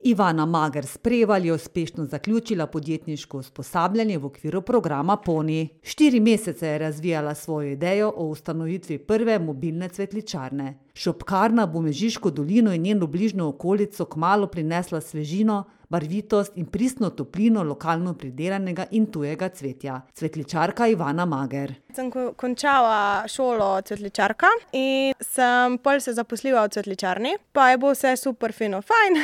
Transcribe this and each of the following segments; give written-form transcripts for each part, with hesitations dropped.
Ivana Mager s Prevalj je uspešno zaključila podjetniško usposabljanje v okviru programa Poni. 4 mesece je razvijala svojo idejo o ustanovitvi prve mobilne cvetličarne. Šopkarna bo Mežiško dolino in njeno bližnjo okolico kmalu prinesla svežino, barvitost in pristno toplino lokalno pridelanega in tujega cvetja. Cvetličarka Ivana Mager. Sem končala šolo cvetličarka in sem pol se zaposlila v cvetličarni, pa je bilo vse super fino fajn.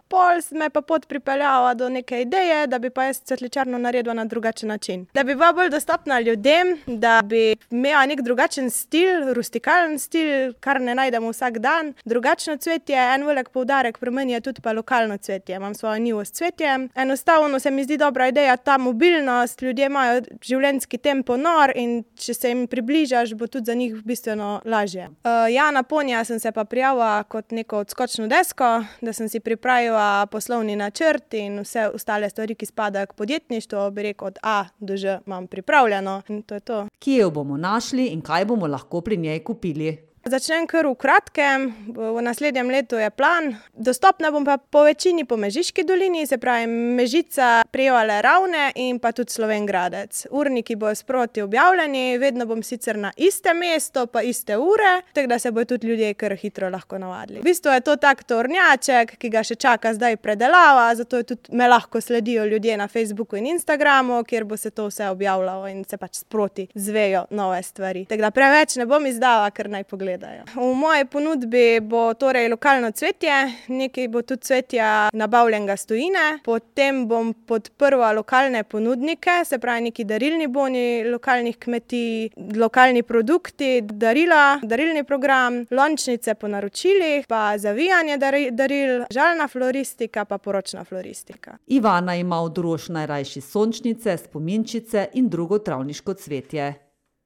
Pol me pa pot pripeljala do neke ideje, da bi pa jaz cvetličarno naredila na drugačen način. Da bi bila bolj dostopna ljudem, da bi imela nek drugačen stil, rustikalen stil, kar ne najdemo vsak dan. Drugačno cvetje, en velik poudarek pri meni je tudi pa lokalno cvetje. Imam svojo njivo s cvetjem. Enostavno se mi zdi dobra ideja ta mobilnost, ljudje imajo življenjski tempo nor in če se jim približaš, bo tudi za njih bistveno lažje. Na Ponija sem se pa prijavila kot neko odskočno desko, da sem si pripravila poslovni načrt in vse ostale stvari, ki spadajo k podjetništvu, bi rekel od A do Ž imam pripravljeno in to je to. Kje jo bomo našli in kaj bomo lahko pri njej kupili? Začnem kar v kratkem, v naslednjem letu je plan. Dostopna bom pa po večini po Mežiški dolini, se pravi Mežica, Prevalj, Ravne in pa tudi Slovenj Gradec. Urniki bojo sproti objavljeni, vedno bom sicer na iste mesto pa iste ure, tako da se bojo tudi ljudje kar hitro lahko navadili. V bistvu je to tak tornjaček, ki ga še čaka zdaj predelava, zato je tudi me lahko sledijo ljudje na Facebooku in Instagramu, kjer bo se to vse objavljalo in se pač sproti zvejo nove stvari. Tako da preveč ne bom izdala, ker naj pogledajo. V moji ponudbi bo torej lokalno cvetje, nekaj bo tudi cvetja nabavljenega s tujine, potem bom podprla lokalne ponudnike, se pravi neki darilni boni lokalnih kmetij, lokalni produkti, darila, darilni program, lončnice po naročilih, pa zavijanje daril, žalna floristika pa poročna floristika. Ivana ima v drož najrajši sončnice, spominčice in drugo travniško cvetje.